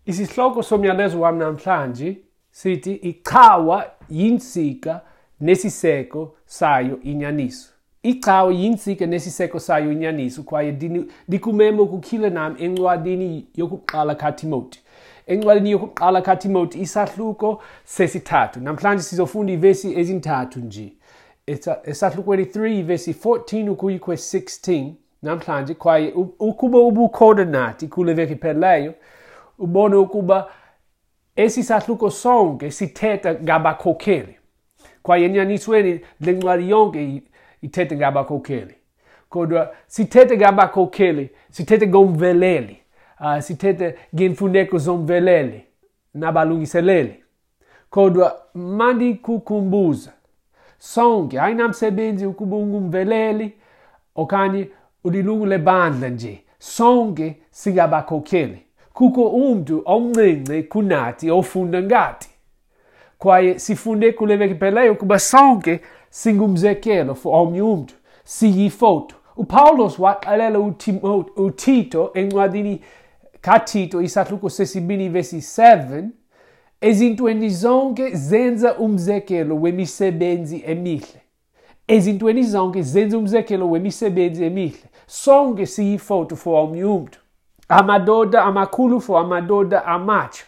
Isihloko somyalezo wam namhlanje sithi icawa yintsika nesiseko sayo inyaniso. Icawa yintsika nesiseko sayo inyaniso, kwaye ndikumema ukukhila nam encwadini yokuqala kaTimoti. Encwadini yokuqala kaTimoti isahluko sesithathu. Namhlanje sizofunda iivesi ezintathu nje. Esahlukweni 3 ivesi 14 ukuya kwe-16 namhlanje, kwaye ukuba ubukhona nathi kule veki iphelileyo, ubone ukuba esi sahluko sonke sithetha ngabakhokheli. Kwaye enyanisweni le ncwadi yonke ithetha ngabakhokheli. Kodwa sithethe ngabakhokheli, sithethe ngomveleli, sithethe ngeemfuneko zomveleli nabalungiseleli. Kodwa mandikukhumbuza, sonke ayinamsebenzi ukuba ungumveleli okanye ulilungu lebandla nje, sonke singabakhokheli. Kukho umntu omncinci kunathi ofunda ngathi. Kwaye sifunde kule veki iphelileyo ukuba sonke singumzekelo for omnye umntu, siyifoto. uPawulos waxelela uTito encwadini kaTito isahluko sesibini vesi 7, ezintweni zonke zenza umzekelo wemisebenzi emihle. Ezintweni zonke zenza umzekelo wemisebenzi emihle. Sonke siyifoto for omnye umntu. Amadoda amakhulu for amadoda amatsha.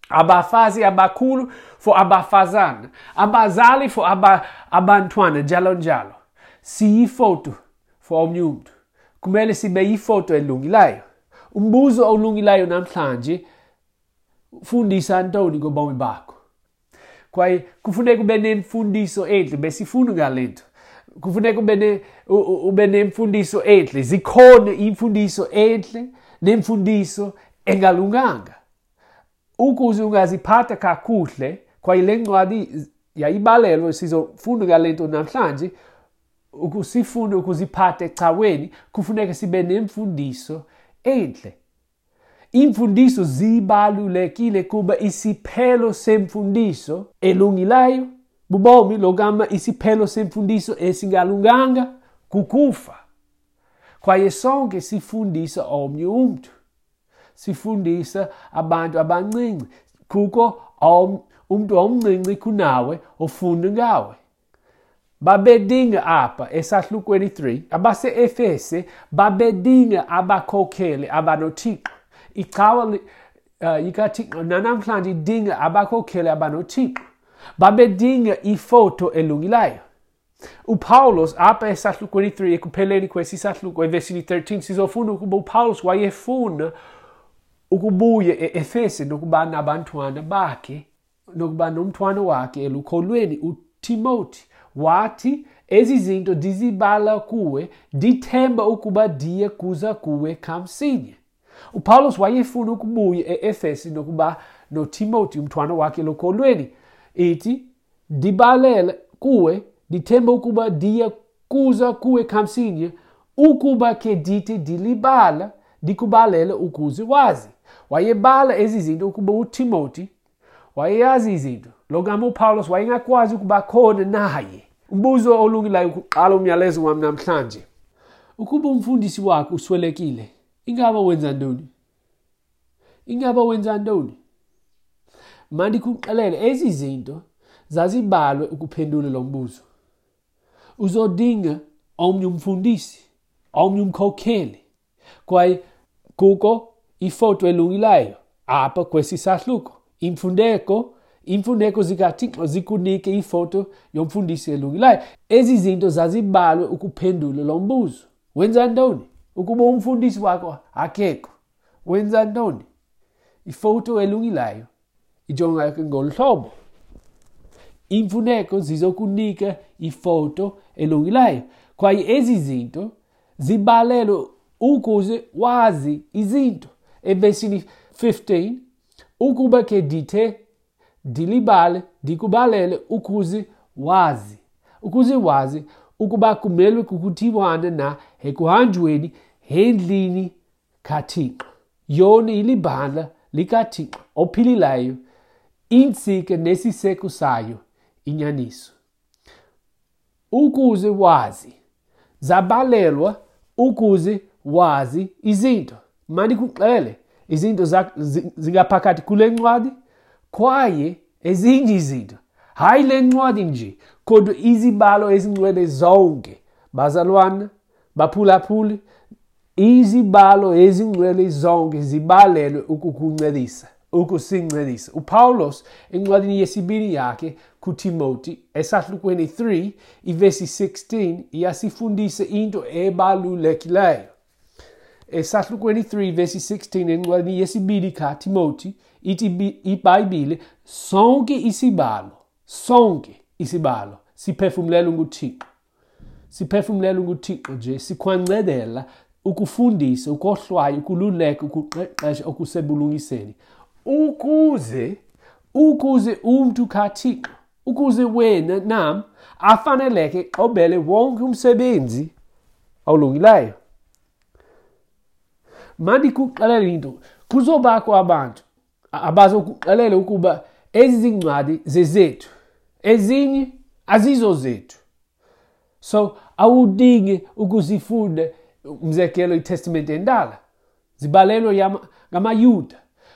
Abafazi abakhulu for abafazana. Abazali for abantwana, njalo njalo. Siyifoto for omnye umntu. Kumele sibe yifoto elungileyo. Umbuzo olungileyo namhlanje, fundisa ntoni ngobomi bakho? Kwaye kufuneka ube nemfundiso entle, besifuna ngale nto. Kufuneka ube nemfundiso entle. Zikhona imfundiso entle nemfundiso engalunganga. Ukuze ungaziphatha kakuhle, kwaye le ncwadi yayibalelwe, sizofunda ngale nto namhlanje, ukusifunda ukuziphatha ecaweni, kufuneka sibe nemfundiso entle. Iimfundiso zibalulekile kuba isiphelo semfundiso elungileyo bubomi, logama isiphelo semfundiso esingalunganga kukufa. Kwaye sonke sifundisa omnye umntu. Sifundisa abantu abancinci. Kukho umntu omncinci kunawe ofunda ngawe. Babedinga apha esahlukweni 3, abase-Efese babedinga abakhokheli abanoThixo. Icawa ikaThixo nanamhlanje idinga abakhokheli abanoThixo. Babedinga ifoto elungileyo. uPawulos apha esahlukweni 3, ekupheleni kwesi sahluko evesini 13, sizofunda ukuba uPawulos wayefuna ukubuya e-Efese nokuba nabantwana bakhe, nokuba nomntwana wakhe elukholweni uTimoti. Wathi, ezi zinto ndizibala kuwe, ndithemba ukuba ndiye kuza kuwe kamsinya. uPawulos wayefuna ukubuya e-Efese nokuba noTimoti umntwana wakhe elukholweni. Ithi, ndibalele kuwe, ndithemba ukuba ndiye kuza kuwe kamsinya, ukuba ke ndithi ndilibala, ndikubalele ukuze wazi. Wayebala ezi zinto ukuba uTimoti wayeyazi izinto. Lo gama uPawulos wayengakwazi ukuba khona naye. Umbuzo olungileyo ukuqala umyalezo wam namhlanje. Ukuba umfundisi wakho uswelekile, ingaba wenza ntoni? Ingaba wenza ntoni? Mandikuxelele, ezi zinto zazibalwe ukuphendula lo mbuzo. Uzodinga omnye umfundisi, omnye umkhokheli. Kwaye kukho ifoto elungileyo apha kwesi sahluko. Imfuneko zikaThixo zikunike ifoto yomfundisi elungileyo. Ezi zinto zazibalwe ukuphendula lo mbuzo. Wenza ntoni? Ukuba umfundisi wakho akekho, wenza ntoni? Ifoto elungileyo ijonga ngolu hlobo. Iimfuneko zizokunika ifoto elungileyo. Kwaye ezi zinto zibalelwe ukuze wazi izinto. Evesini 15, ukuba ke ndithe ndilibale, ndikubalele ukuze wazi. Ukuze wazi ukuba kumelwe kukuthiwana na ekuhanjweni endlini kaThixo. Yona ilibandla likaThixo ophilileyo, intsika nesiseko sayo inyaniso. Ukuze wazi, zabalelwa ukuze wazi izinto. Mandikuxele, izinto zingaphakathi kule ncwadi kwaye ezinye izinto. Hayi le ncwadi nje, kodwa izibhalo ezingcwele zonke. Bazalwana, baphulaphuli, izibhalo ezingcwele zonke zibalelwe ukukuncedisa, ukusincedisa. UPawulos encwadini yesibini yakhe kuTimoti esahlukweni 3 ivesi 16 iyasifundisa into ebalulekileyo. Esahlukweni 3 vesi 16 encwadini yesibini kaTimoti ithi iBhayibhile, sonke isibhalo siphefumlelwe nguThixo. Siphefumlelwe nguThixo nje, sikwancedela ukufundisa, ukohlwaya, ukululeka, ukuqeqesha okusebulungiseni. Ukuze umntu kaThixo, ukuze wena nam afaneleke xobele wonke umsebenzi olungileyo. Mandikuxelele into, kuzobakho abantu abazokuxelela ukuba ezi zincwadi zezethu, ezinye azizo zethu. So awudingi ukuzifunda, umzekelo iTestamente Endala zibalelwe ngamaYuda,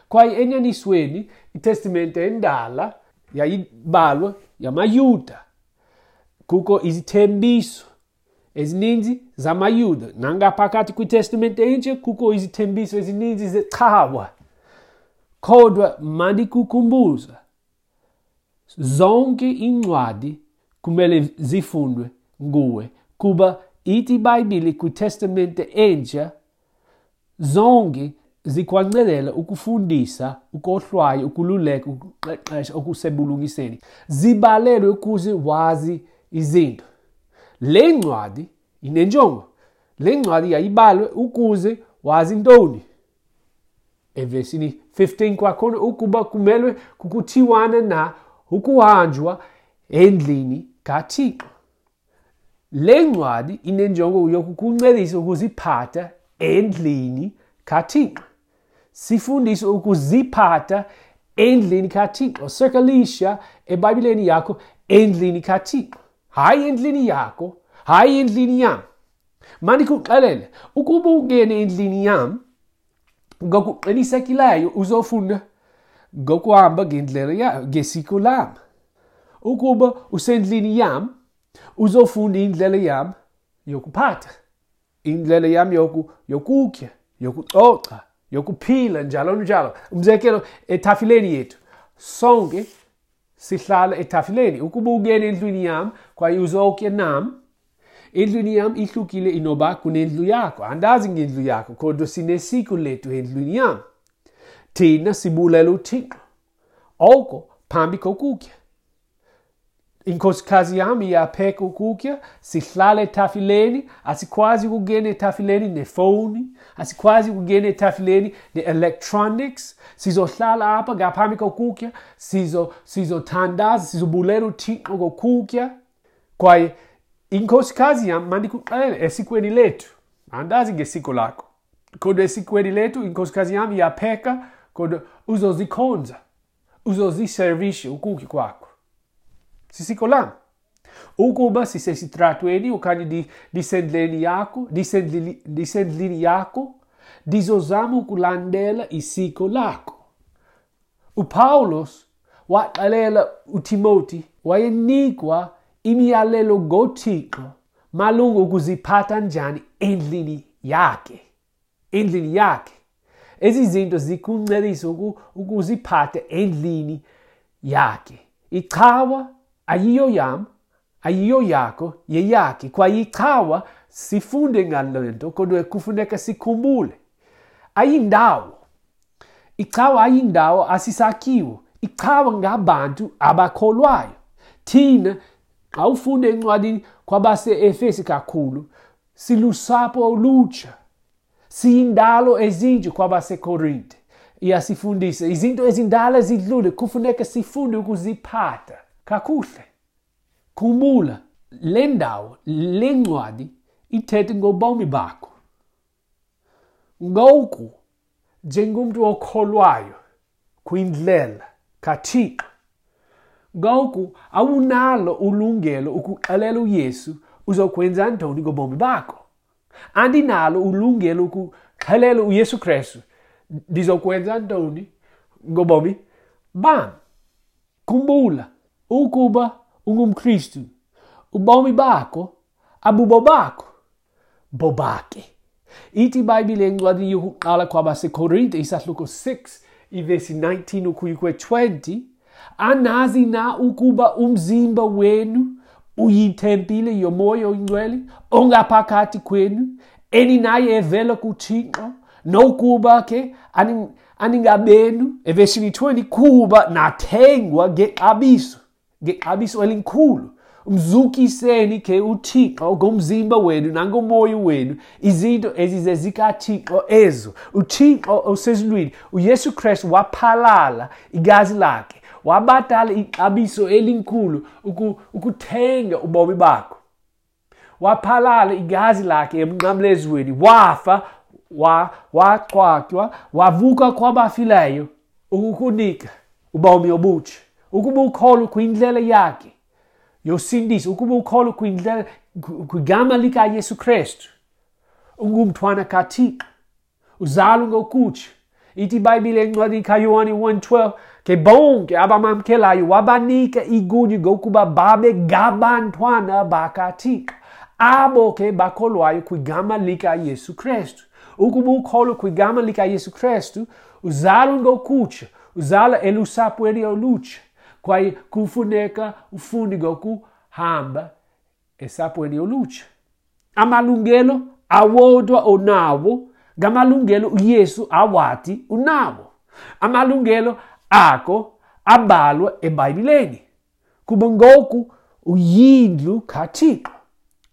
kwaye enyanisweni iTestamente Endala yayibalwa yamaYuda. Kukho izithembiso ezininzi zamaYuda, nangaphakathi kwiTestamente Entsha kukho izithembiso ezininzi zecawa. Kodwa mandikukhumbuza, zonke iincwadi kumele zifundwe nguwe, kuba ithi iBhayibhile kwiTestamente Entsha zonke zikwancedela ukufundisa, ukohlwaya, ukululeka, ukuqeqesha okusebulungiseni. Zibalelwe ukuze wazi izinto. Le ncwadi inenjongo. Le ncwadi yayibalwe ukuze wazi ntoni. Evesini 15 kwakhona, ukuba kumelwe kukuthiwana na ukuhanjwa endlini kaThixo. Le ncwadi inenjongo yokukuncedisa ukuziphatha endlini kaThixo. Sifundise ukuziphatha endlini kaThixo. Circleisha eBhayibhileni yakho endlini kaThixo. Hayi endlini yakho, hayi endlini yam. Mandikuxelele, ukuba ungene endlini yam, ngokuqinisekileyo uzofunda ngokuhamba ngendlela ngesiko lam. Ukuba usendlini yam, uzofunda indlela yam yokuphatha, indlela yam yokutya, yokucoca, yokuphila, njalo njalo. Umzekelo, etafileni yethu, sonke sihlala etafileni. Ukuba ungene endlwini yam kwaye uzokutya nam, endlwini yam ihlukile inoba kunendlu yakho. Andazi ngendlu yakho, kodwa sinesiko lethu endlwini yam. Thina sibulela uThixo oko phambi kokutya. Inkosikazi yam iyapheka ukutya, sihlala etafileni. Asikwazi ukungena etafileni nefowuni, asikwazi ukungena etafileni ne-electronics. Sizohlala apha ngaphambi kokutya, sizothandaza, sizobulela uThixo ngokutya. Kwaye inkosikazi yam, mandikuxelele, esikweni lethu, andazi ngesiko lakho, kodwa esikweni lethu inkosikazi yam iyapheka, kodwa uzozikhonza, uzoziservisha ukutya kwakho. Sisiko lam. Ukuba sisesitratweni okanye ndisendlini yakho, ndisendlini yakho, ndizozama ukulandela isiko lakho. uPawulos waxelela uTimoti, wayenikwa imiyalelo ngoThixo malunga ukuziphatha njani endlini yakhe. Endlini yakhe. Ezi zinto zikuncedisa ukuziphatha endlini yakhe. Icawa ayiyo yam, ayiyo yakho, yeyakhe. Kwaye icawa sifunde ngale nto, kodwa kufuneka sikhumbule. Ayindawo. Icawa ayindawo, asisakhiwo. Icawa ngabantu abakholwayo. Thina, xa ufunde encwadini kwabase-Efesi kakhulu, silusapho olutsha. Siyindalo ezintsha kwabaseKorinte. Iyasifundisa izinto ezindala zidlule, kufuneka sifunde ukuziphatha kakuhle. Khumbula, le ndawo, le ncwadi ithethe ngobomi bakho. Ngoku, njengomntu okholwayo kwindlela kaThixo, ngoku awunalo ulungelo ukuxelela uYesu uzokwenza ntoni ngobomi bakho. Andinalo ulungelo ukuxelela uYesu Kristu, Ndizokwenza ntoni ngobomi bam? Khumbula, ukuba ungumKristu, ubomi bakho abubo bakho, bobakhe. Ithi iBhayibhile encwadini yokuqala kwabaseKorinte isahluko 6 ivesi 19 ukuya kwe-20, anazi na ukuba umzimba wenu uyitempile yoMoya oyiNgcwele ongaphakathi kwenu, eninaye evela kuThixo, nokuba ke aningabenu, evesini 20, kuba nathengwa ngexabiso, ngexabiso elikhulu. Mzukiseni ke uThixo ngomzimba wenu nangomoya wenu, izinto ezizezikaThixo ezo. UThixo osezulwini, uYesu Kristu waphalala igazi lakhe, wabhatala ixabiso elikhulu ukuthenga ubomi bakho. Waphalala igazi lakhe emnqamlezweni, wafa, waqhwatywa, wavuka kwabafileyo ukukunika ubomi obutsha. Ukuba ukholwa kwindlela yakhe yosindiso, ukuba ukholwa kwigama likaYesu Kristu, ungumntwana kaThixo, uzalwa ngokutsha. Ithi iBhayibhile encwadini kaYohane 1:12, ke bonke abamamkelayo wabanika igunya ngokuba babe ngabantwana bakaThixo, abo ke bakholwayo kwigama likaYesu Kristu. Ukuba ukholwa kwigama likaYesu Kristu, uzalwa ngokutsha, uzalwa elusapweni olutsha, kwaye kufuneka ufunde ngokuhamba esapweni olutsha. Amalungelo awodwa onawo ngamalungelo uYesu awathi unawo. Amalungelo akho abhalwa eBhayibhileni, kuba ngoku uyindlu kaThixo.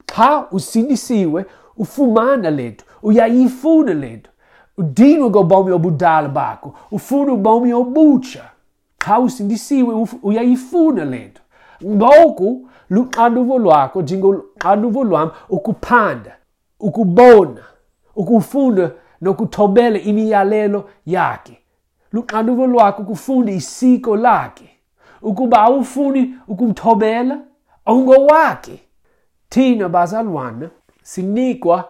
Xa usindisiwe, ufumana le nto, uyayifuna le nto. Udinwa ngobomi obudala bakho, ufuna ubomi obutsha. Xa usindisiwe, uyayifuna le nto. Ngoku luxanduva lwakho, njengoxanduva lwam, ukuphanda, ukubona, ukufunda nokuthobela imiyalelo yakhe. Luxanduva lwakho ukufunda isiko lakhe. Ukuba awufuni ukumthobela, awungowakhe. Thina bazalwana sinikwa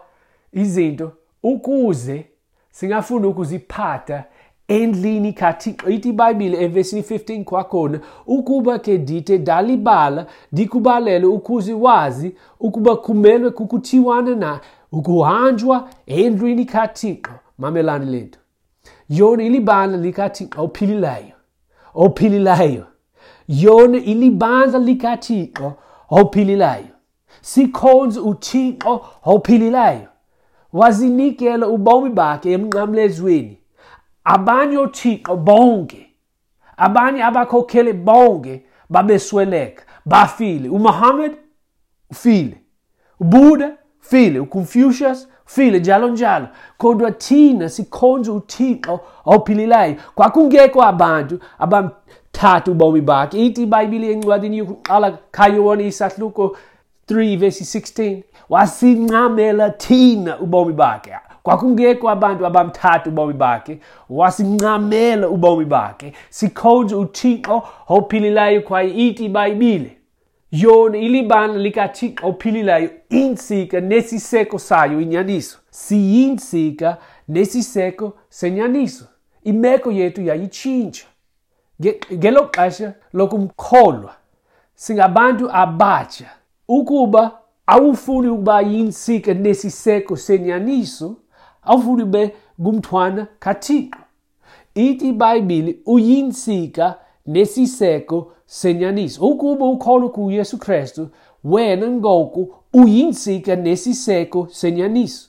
izinto ukuze singafuni ukuziphatha endlini kaThixo. Ithi iBhayibhile evesini 15 kwakhona, ukuba ke ndithe ndalibala, ndikubalele ukuze wazi ukuba kumelwe kukuthiwana na ukuhanjwa endlwini kaThixo. Mamelani le nto. Yona ilibandla likaThixo ophilileyo, ophilileyo. Yona ilibandla likaThixo ophilileyo. Sikhonza uThixo ophilileyo. Wazinikela ubomi bakhe emnqamlezweni. Abanye oothixo bonke, abanye abakhokheli bonke babesweleka, bafile. uMuhammad ufile, uBuddha ufile, uConfucius ufile, njalo njalo. Kodwa thina sikhonza uThixo ophilileyo. Kwakungekho abantu abamthatha ubomi bakhe. Ithi iBhayibhile encwadini yokuqala kaYohane isahluko 3 verse 16, wasincamela thina ubomi bakhe. Kwakungekho abantu abamthatha ubomi bakhe, wasincamela ubomi bakhe. Sikhonza uThixo ophilileyo, kwaye ithi iBhayibhile yona ilibandla likaThixo ophilileyo, intsika nesiseko sayo inyaniso. Siyintsika nesiseko senyaniso. Imeko yethu yayitshintsha ngelo xesha lokumkholwa. Singabantu abatsha. Ukuba awufuni ukuba yintsika nesiseko senyaniso, awufuni ube ngumntwana kaThixo. Ithi iBhayibhile uyintsika nesiseko senyaniso. Ukuba ukholwa kuYesu Kristu, wena ngoku uyintsika nesiseko senyaniso.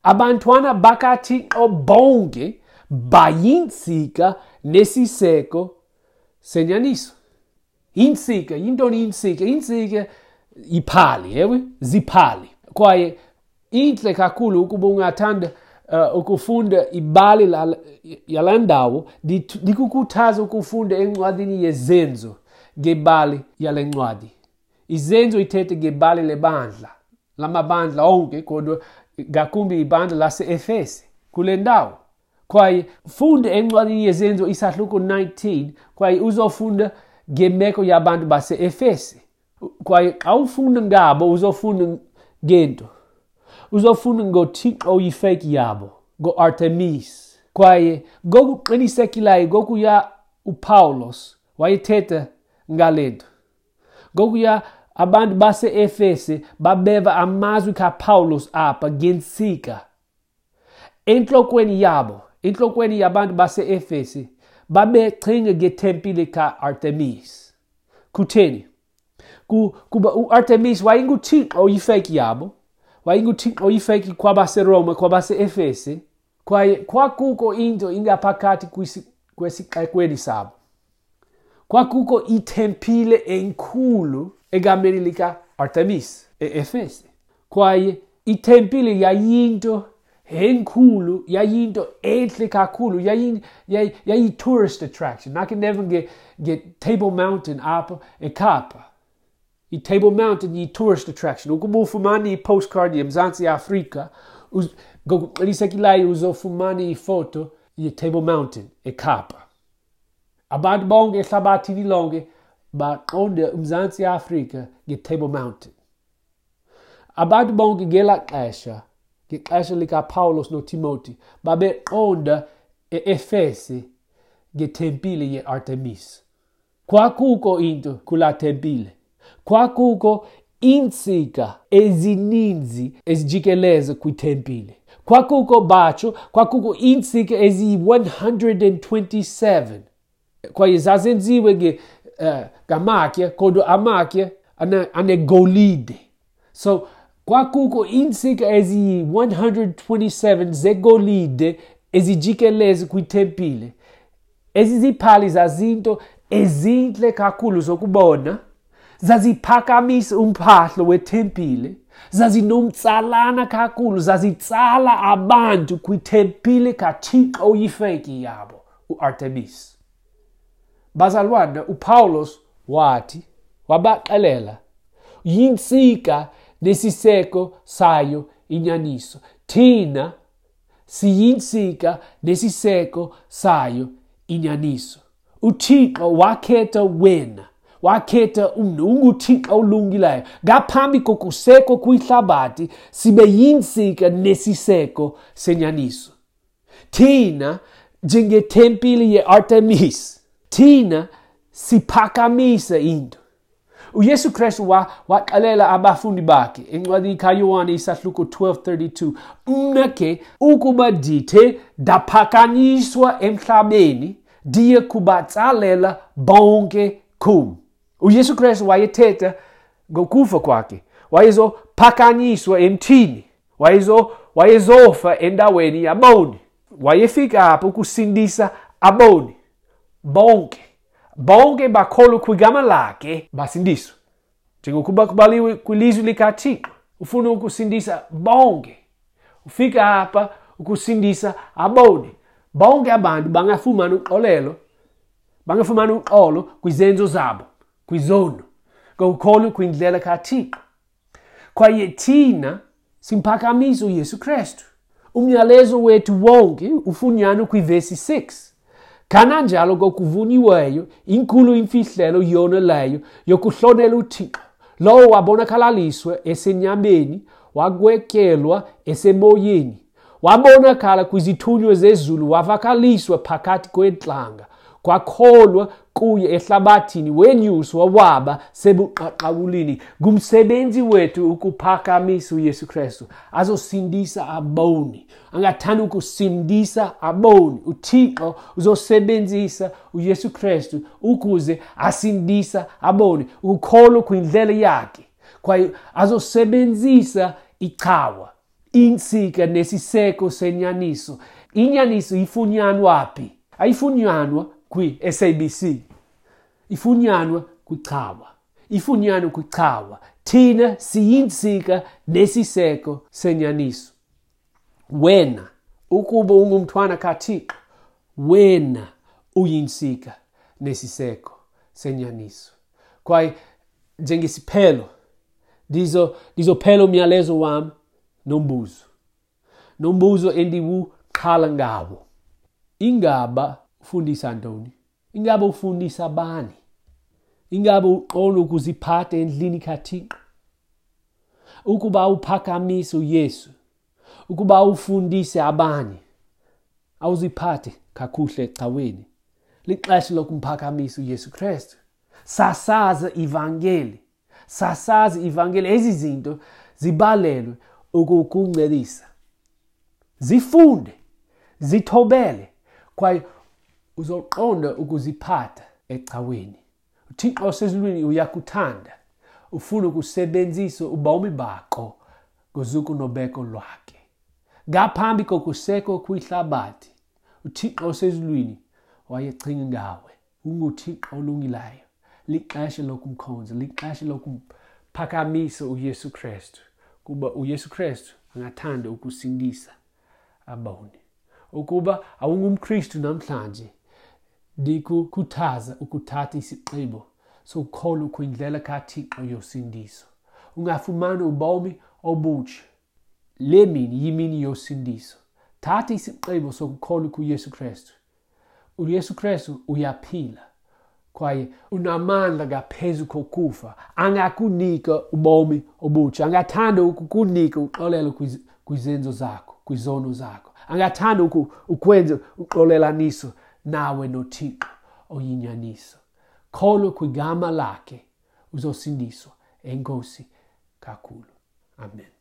Abantwana bakaThixo bonke bayintsika nesiseko senyaniso. Intsika, yintoni intsika? Intsika iphali, ewe, ziphali. Kwaye intle kakhulu ukuba ungathanda ukufunda ibali yalaa ndawo, ndikukhuthaza ukufunda encwadini yeZenzo ngebali yale ncwadi. Izenzo ithethe ngebali lebandla, lamabandla onke, kodwa ngakumbi ibandla lase-Efese kule ndawo. Kwaye funda encwadini yeZenzo isahluko 19, kwaye uzofunda ngemeko yabantu base-Efese. Kwaye xa ufunda ngabo, uzofunda ngento. Uzofunda ngoThixo oyifeki yabo, ngoArtemis. Kwaye ngokuqinisekileyo ngokuya uPawulos wayethetha ngale nto. Ngokuya abantu base-Efese babeva amazwi kaPawulos apha ngentsika. Entlokweni yabo, entlokweni yabantu base-Efese, babecinga ngetempile ka-Artemis. Kutheni? Kuba uArtemis wayenguthixo oyifeki yabo, wayenguthixo oyifeki kwabaseRoma, kwabase-Efese, kwaye kwakukho into ingaphakathi kwesixekweni sabo. Kwakukho itempile enkulu egameni lika-Artemis e-Efese. Kwaye itempile yayinto enkulu, yayinto entle kakhulu, yayi-tourist attraction. Nakhe neva nge-Table Mountain apho eKapa. I-Table Mountain yi-tourist attraction. Ukuba ufumane i-postcard yeMzantsi Afrika, ngokuqinisekileyo uzofumana ifoto ye-Table Mountain eKapa. Abantu bonke ehlabathini lonke baqonde uMzantsi Afrika nge-Table Mountain. Abantu bonke ngelaa xesha, ngexesha likaPawulos noTimoti, babeqonda e-Efese ngetempile ye-Artemis. Kwakukho into kulaa tempile. Kwakukho iintsika ezininzi ezijikeleza kwitempile. Kwakukho batsho, kwakukho iintsika eziyi-127. Kwaye zazenziwe ngamatye, kodwa amatye anegolide. So kwakukho iintsika eziyi-127 zegolide ezijikeleze kwitempile. Ezi ziphali zazinto ezintle kakhulu zokubona, zaziphakamisa umphahlo wetempile, zazinomtsalana kakhulu, zazitsala abantu kwitempile kaThixo oyifeki yabo, uArtemis. Bazalwana, uPawulos wathi, wabaxelela, yintsika nesiseko sayo inyaniso. Thina siyintsika nesiseko sayo inyaniso. UThixo wakhetha wena, wakhetha umntu, unguThixo olungileyo. Ngaphambi kokuseko kwihlabathi sibe yintsika nesiseko senyaniso. Thina njengetempile ye-Artemis, thina siphakamisa into. uYesu Kristu waxelela abafundi bakhe encwadini kaYohane isahluko 12:32, mna ke ukuba ndithe ndaphakanyiswa emhlabeni, ndiye kubatsalela bonke kum. uYesu Kristu wayethetha ngokufa kwakhe, wayezophakanyiswa emthini, wayezofa endaweni yaboni. Wayefika apho ukusindisa aboni bonke. Bonke bakholwa kwigama lakhe basindiswe. Njengokuba kubhaliwe kwilizwi likaThixo, ufuna ukusindisa bonke. Ufika apha ukusindisa aboni. Bonke abantu bangafumana uxolelo, bangafumana uxolo kwizenzo zabo, kwizono, ngokukholwa kwindlela kaThixo. Kwaye thina simphakamisa uYesu Kristu. Umyalezo wethu wonke ufunyanwa kwivesi 6. Kananjalo ngokuvunyiweyo, inkulu imfihlelo yona leyo yokuhlonela uThixo. Lowo wabonakalaliswa esenyameni, wagwetyelwa esemoyeni. Wabonakala kwizithunywa zezulu, wavakaliswa phakathi kweentlanga. Kwakholwa kuye ehlabathini, wenyuswa waba sebuqaqawulini. Ngumsebenzi wethu ukuphakamisa uYesu Kristu, azosindisa aboni. Angathanda ukusindisa aboni. uThixo uzosebenzisa uYesu Kristu ukuze asindisa aboni, ukukholwa kwindlela yakhe. Kwaye azosebenzisa icawa, intsika nesiseko senyaniso. Inyaniso ifunyanwa phi? Ayifunyanwa kwi-SABC. Ifunyanwa kwicawa. Ifunyanwa kwicawa. Thina siyintsika nesiseko senyaniso. Wena, ukuba ungumntwana kaThixo, wena uyintsika nesiseko senyaniso. Kwaye njengesiphelo, ndizophela umyalezo wam nombuzo. Nombuzo endiwuqala ngawo. Ingaba ufundisa ntoni? Ingaba ufundisa bani? Ingaba uqonda ukuziphatha endlini kaThixo? Ukuba uphakamisa uYesu, ukuba ufundise abanye, awuziphathi kakuhle ecaweni, lixesha lokumphakamisa uYesu Kristu. Sasaza ivangeli. Sasaza ivangeli. Ezi zinto zibalelwe ukukuncedisa. Zifunde, zithobele, kwaye uzoqonda ukuziphatha ecaweni. UThixo osezulwini uyakuthanda. Ufuna ukusebenzisa ubomi bakho ngozuko nobeko lwakhe. Ngaphambi kokusekwa kwihlabathi, uThixo osezulwini wayecinga ngawe. UnguThixo olungileyo. Lixesha lokumkhonza, lixesha lokumphakamisa uYesu Kristu, kuba uYesu Kristu angathanda ukusindisa aboni. Ukuba awungumKristu namhlanje, ndikukhuthaza ukuthatha isigqibo sokukholwa kwindlela kaThixo yosindiso. Ungafumana ubomi obutsha. Le mini yimini yosindiso. Thatha isigqibo sokukholwa kuYesu Kristu. UYesu Kristu uyaphila kwaye unamandla ngaphezu kokufa. Angakunika ubomi obutsha. Angathanda ukukunika uxolelo kwizenzo zakho, kwizono zakho. Angathanda ukwenza uxolelaniso nawe noThixo oyinyaniso. Kholwa kwigama lakhe, uzosindiswa. Enkosi kakhulu. Amen.